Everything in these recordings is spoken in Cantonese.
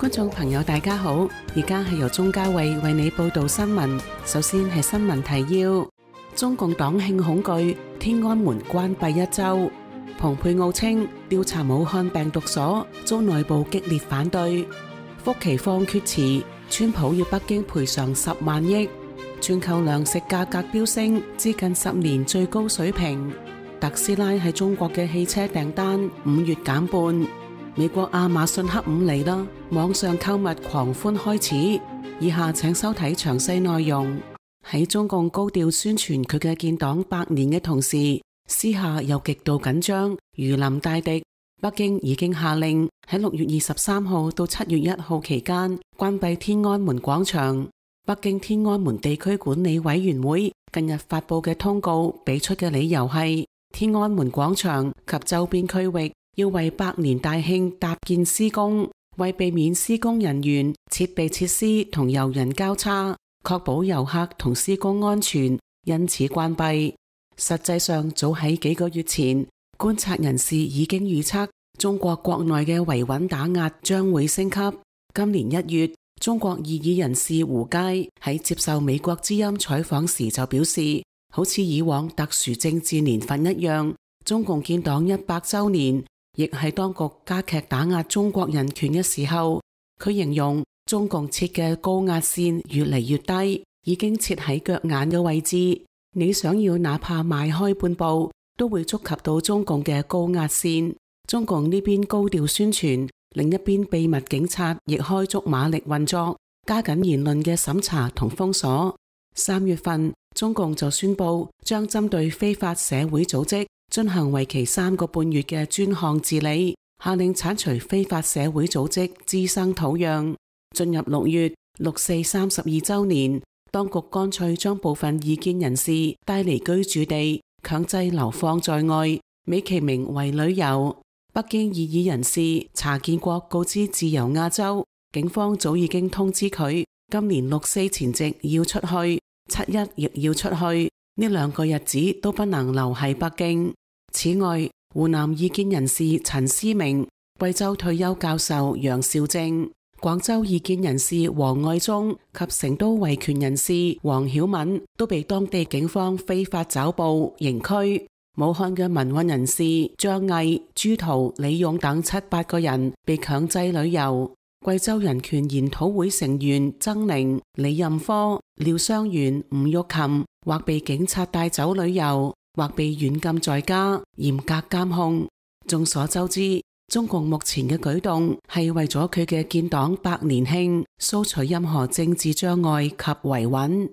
觀眾朋友大家好，而家係由鍾嘉慧為你報道新聞。首先係新聞提要：中共黨慶恐懼，天安門關閉1週。蓬佩奧稱調查武漢病毒所遭內部激烈反對。福奇放厥詞，川普要北京賠償10萬億。全球糧食價格飆升至近10年最高水平。特斯拉喺中國嘅汽車訂單5月減半。美國亞馬遜黑五嚟啦，網上購物狂歡開始。以下請收睇詳細內容。喺中共高調宣傳佢嘅建黨100年嘅同時，私下又極度緊張，如臨大敵。北京已經下令喺6月23號到7月1號期間關閉天安門廣場。北京天安門地區管理委員會近日發佈嘅通告俾出嘅理由係，天安門廣場及周邊區域要為100年大慶搭建施工，為避免施工人員、設備設施同遊人交叉，確保遊客同施工安全，因此關閉。實際上，早喺幾個月前，觀察人士已經預測中國國內嘅維穩打壓將會升級。今年1月，中國異議人士胡佳喺接受美國之音採訪時就表示，好似以往特殊政治年份一樣，中共建黨100週年，亦係當局加劇打壓中國人權嘅時候。佢形容中共設嘅高壓線越嚟越低，已經設喺腳眼嘅位置。你想要哪怕邁開半步，都會觸及到中共嘅高壓線。中共呢邊高調宣傳，另一邊秘密警察亦開足馬力運作，加緊言論嘅審查同封鎖。3月份，中共就宣布將針對非法社會組織進行為期3個半月嘅專項治理，下令剷除非法社會組織滋生土壤。進入6月，6四32週年，當局乾脆將部分異見人士帶離居住地，強制流放在外，美其名為旅遊。北京異議人士查建國告知自由亞洲，警方早已經通知佢，今年6四前夕要出去，7·1亦要出去，呢2個日子都不能留喺北京。此外，湖南異見人士陳思明、貴州退休教授楊兆正、廣州異見人士王愛忠及成都維權人士黃曉敏都被當地警方非法抓捕刑拘。武漢嘅民運人士張毅、朱濤、李勇等7、8個人被強制旅遊。貴州人權研討會成員曾寧、李任科、廖湘元、吳玉琴或被警察帶走旅遊，或被軟禁在家，嚴格監控。眾所周知，中共目前嘅舉動係為咗佢嘅建黨100年慶，掃除任何政治障礙及維穩。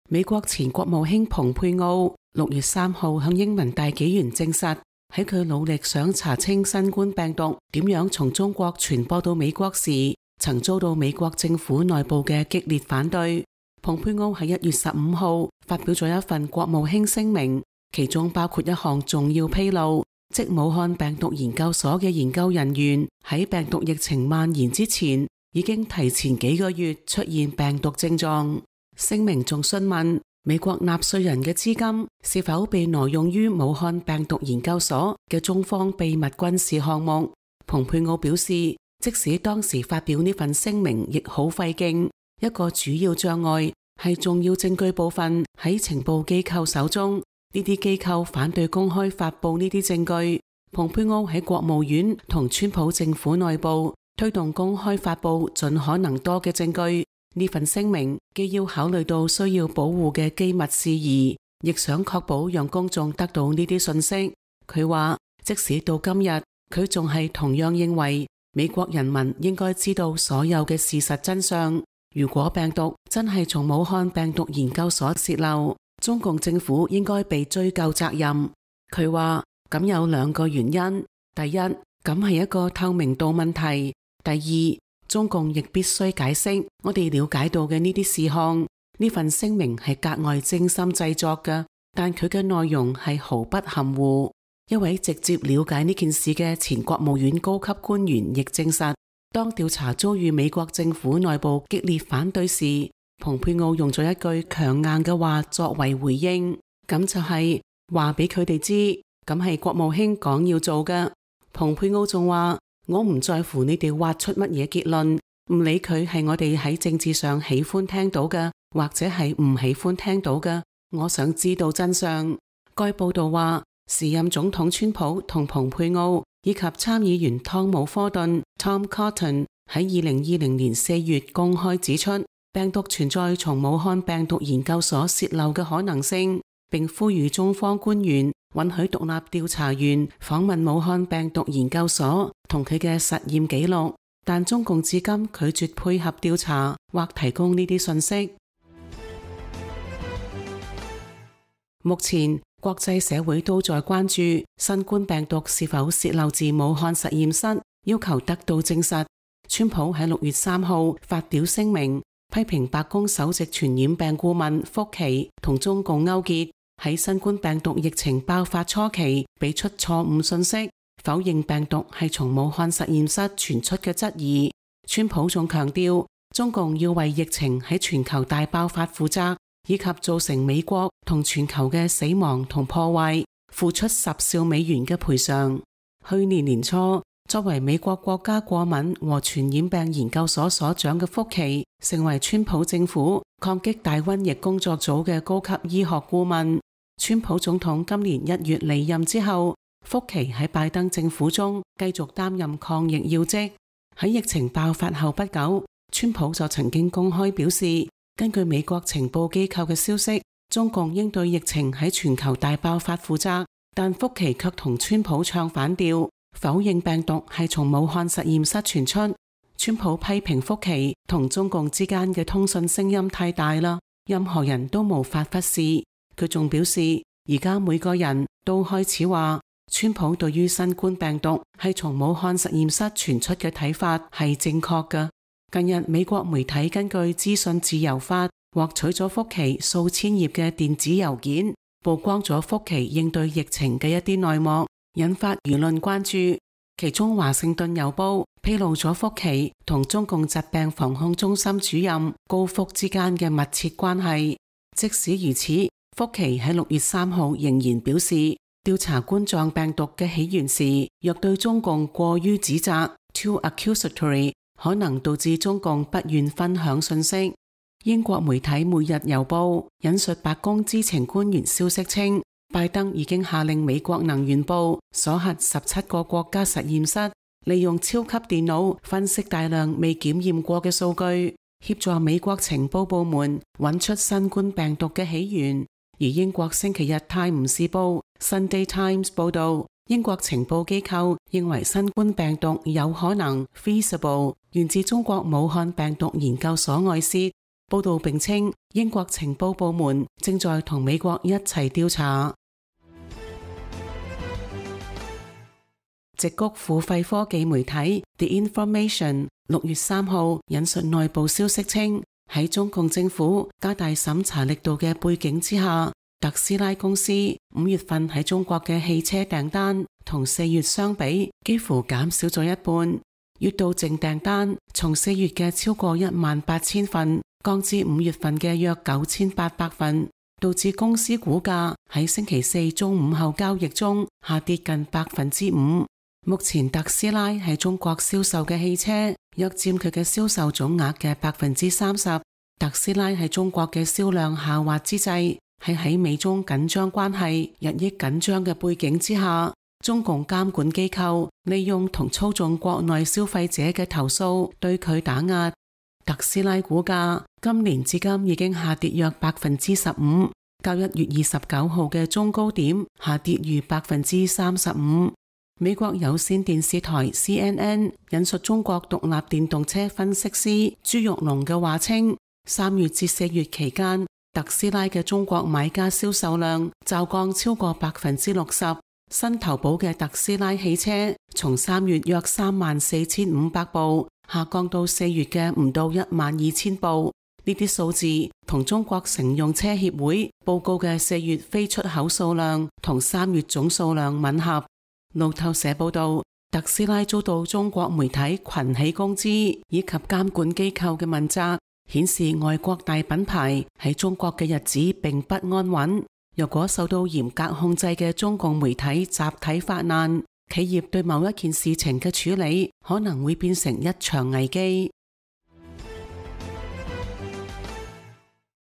美國前國務卿蓬佩奧6月3號向英文大紀元證實，喺佢努力想查清新冠病毒點樣從中國傳播到美國時，曾遭到美國政府內部嘅激烈反對。蓬佩奧喺1月15號發表咗一份國務卿聲明，其中包括一項重要披露，即武漢病毒研究所嘅研究人員喺病毒疫情蔓延之前，已經提前幾個月出現病毒症狀。聲明仲詢問美國納稅人嘅資金是否被挪用於武漢病毒研究所嘅中方秘密軍事項目。蓬佩奧表示，即使當時發表呢份聲明亦好費勁，一個主要障礙係重要證據部分喺情報機構手中，呢啲機構反對公開發布呢啲證據。蓬佩奧喺國務院同川普政府內部推動公開發布盡可能多嘅證據。呢份聲明既要考慮到需要保護嘅機密事宜，亦想確保讓公眾得到呢啲信息。佢話，即使到今日，佢仲係同樣認為美國人民應該知道所有嘅事實真相。如果病毒真係從武漢病毒研究所洩漏，中共政府應該被追究責任。佢話，咁有2個原因：第一，咁係一個透明度問題；第二，中共亦必須解釋我哋了解到嘅呢啲事項。呢份聲明係格外精心製作嘅，但佢嘅內容係毫不含糊。一位直接了解呢件事嘅前國務院高級官員亦證實，當調查遭遇美國政府內部激烈反對時，蓬佩奧用咗一句強硬嘅話作為回應，咁就係話俾佢哋知，咁係國務卿講要做嘅。蓬佩奧仲話：我唔在乎你哋挖出乜嘢結論，唔理佢係我哋喺政治上喜歡聽到嘅，或者係唔喜歡聽到嘅，我想知道真相。該報道話，時任總統川普同蓬佩奧以及參議員湯姆科頓 Tom Cotton 喺2020年4月公開指出，病毒存在從武漢病毒研究所洩漏嘅可能性，並呼籲中方官員允許獨立調查員訪問武漢病毒研究所同佢嘅實驗記錄，但中共至今拒絕配合調查或提供呢啲信息。目前國際社會都在關注新冠病毒是否洩漏自武漢實驗室，要求得到證實。川普喺6月3號發表聲明，批評白宮首席傳染病顧問福奇同中共勾結，喺新冠病毒疫情爆發初期俾出錯誤信息，否認病毒係從武漢實驗室傳出嘅質疑。川普仲強調，中共要為疫情喺全球大爆發負責，以及造成美國同全球嘅死亡同破壞，付出10兆美元嘅賠償。去年年初，作為美國國家過敏和傳染病研究所所長嘅福奇，成為川普政府抗擊大瘟疫工作組嘅高級醫學顧問。川普總統今年1月離任之後，福奇喺拜登政府中繼續擔任抗疫要職。喺疫情爆發後不久，川普就曾經公開表示，根據美國情報機構嘅消息，中共應對疫情喺全球大爆發負責，但福奇卻同川普唱反調，否認病毒係從武漢實驗室傳出。川普批評福奇同中共之間嘅通訊聲音太大啦，任何人都無法忽視。佢仲表示，而家每個人都開始話，川普對於新冠病毒係從武漢實驗室傳出嘅睇法係正確嘅。近日美國媒體根據資訊自由法獲取咗福奇數千頁嘅電子郵件，曝光咗福奇應對疫情嘅一啲內幕，引發輿論關注。其中華盛頓郵報披露咗福奇同中共疾病防控中心主任高福之間嘅密切關係。即使如此，福奇喺6月3號仍然表示，調查冠狀病毒嘅起源時，若對中共過於指責 too accusatory， 可能導致中共不願分享信息。英國媒體每日郵報引述白宮知情官員消息稱，拜登已經下令美國能源部鎖核17個國家實驗室，利用超級電腦分析大量未檢驗過嘅數據，協助美國情報部門揾出新冠病毒嘅起源。而英國星期日泰晤士報 Sunday Times 報道，英國情報機構認為新冠病毒有可能 feasible 源自中國武漢病毒研究所外泄。報道並稱，英國情報部門正在同美國一齊調查。矽谷付費科技媒體 The Information 6月3號引述內部消息稱，喺中共政府加大審查力度嘅背景之下，特斯拉公司5月份喺中國嘅汽車訂單同4月相比幾乎減少咗一半，月度淨訂單從4月嘅超過18000份降至5月份嘅約9800份，導致公司股價喺星期四中午後交易中下跌近 5%。目前特斯拉喺中國銷售嘅汽車約佔佢嘅銷售總額嘅 30%。特斯拉喺中國嘅銷量下滑之際，係喺美中緊張關係日益緊張嘅背景之下，中共監管機構利用同操縱國內消費者嘅投訴對佢打壓。特斯拉股價今年至今已經下跌約 15%， 較1月29號嘅中高點下跌逾 35%。美國有線電視台 CNN 引述中國獨立電動車分析師朱玉龍嘅話稱，3月至4月期間，特斯拉嘅中國買家銷售量驟降超過 60%。新投保嘅特斯拉汽車從3月約34500部下降到4月嘅唔到12000部。呢啲數字同中國乘用車協會報告嘅4月非出口數量同3月總數量吻合。路透社報道，特斯拉遭到中國媒體群起攻之以及監管機構嘅問責，顯示外國大品牌喺中國嘅日子並不安穩。如果受到嚴格控制嘅中共媒體集體發難，企業對某一件事情嘅處理可能會變成一場危機。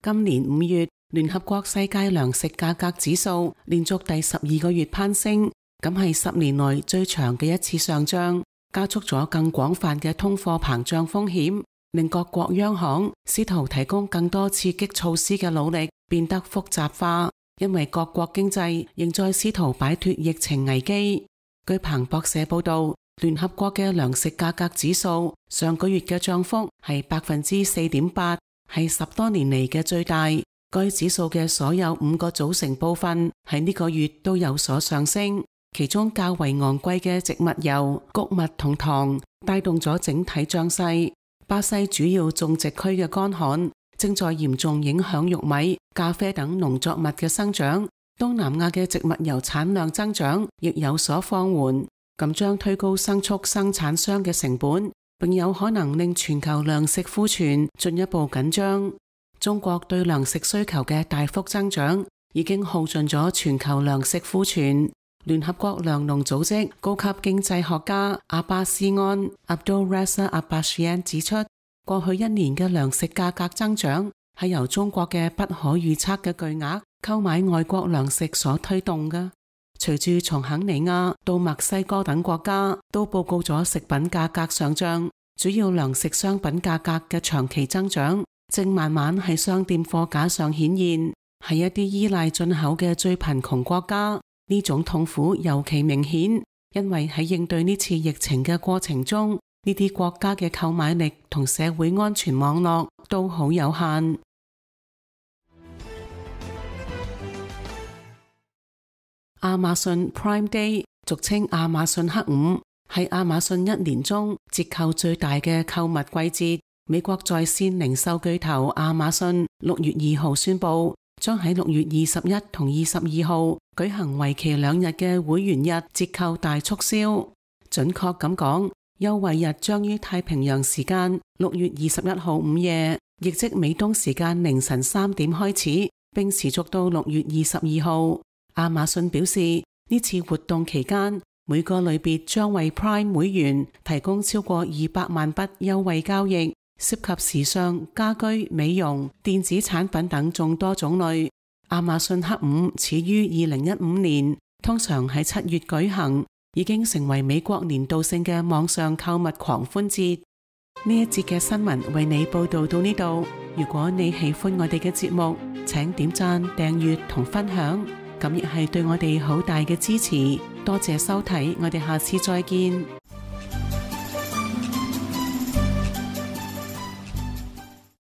今年5月，聯合國世界糧食價格指數連續第12個月攀升，咁係10年內最長嘅一次上漲，加速咗更廣泛嘅通貨膨脹風險，令各國央行試圖提供更多刺激措施嘅努力變得複雜化，因為各國經濟仍在試圖擺脫疫情危機。據彭博社報道，聯合國嘅糧食價格指數上個月嘅漲幅係 4.8%， 係10多年嚟嘅最大。該指數嘅所有5個組成部分喺呢個月都有所上升，其中較為昂貴嘅植物油、穀物同糖帶動咗整體漲勢。巴西主要種植區嘅乾旱正在嚴重影響玉米、咖啡等農作物嘅生長。東南亞嘅植物油產量增長亦有所放緩，咁將推高牲畜生產商嘅成本，並有可能令全球糧食庫存進一步緊張。中國對糧食需求嘅大幅增長已經耗盡咗全球糧食庫存。聯合國糧農組織高級經濟學家阿巴斯安 Abdul Reza Abashian 指出，過去1年嘅糧食價格增長係由中國嘅不可預測嘅巨額購買外國糧食所推動嘅。隨住從肯尼亞到墨西哥等國家都報告咗食品價格上漲，主要糧食商品價格嘅長期增長正慢慢喺商店貨架上顯現。喺一啲依賴進口嘅最貧窮國家，呢種痛苦尤其明顯，因為喺應對呢次疫情嘅過程中，呢啲國家嘅購買力同社會安全網絡都好有限。亞馬遜 Prime Day， 俗稱亞馬遜黑五，係亞馬遜1年中折扣最大嘅購物季節。美國在線零售巨頭亞馬遜6月2號宣布，將喺6月21同22號舉行為期2日嘅會員日折扣大促銷。準確咁講，優惠日將於太平洋時間6月21號午夜，亦即美東時間凌晨3點開始，並持續到6月22號。亞馬遜表示，呢次活動期間，每個類別將為 Prime 會員提供超過200萬筆優惠交易，涉及時尚、家居、美容、電子產品等眾多種類。亞馬遜黑五始於2015年，通常喺7月舉行，已經成為美國年度性嘅網上購物狂歡節。呢一節嘅新聞為你報道到呢度。如果你喜歡我哋嘅節目，請點讚、訂閱同分享。咁亦係對我哋好大嘅支持，多謝收睇，我哋下次再見。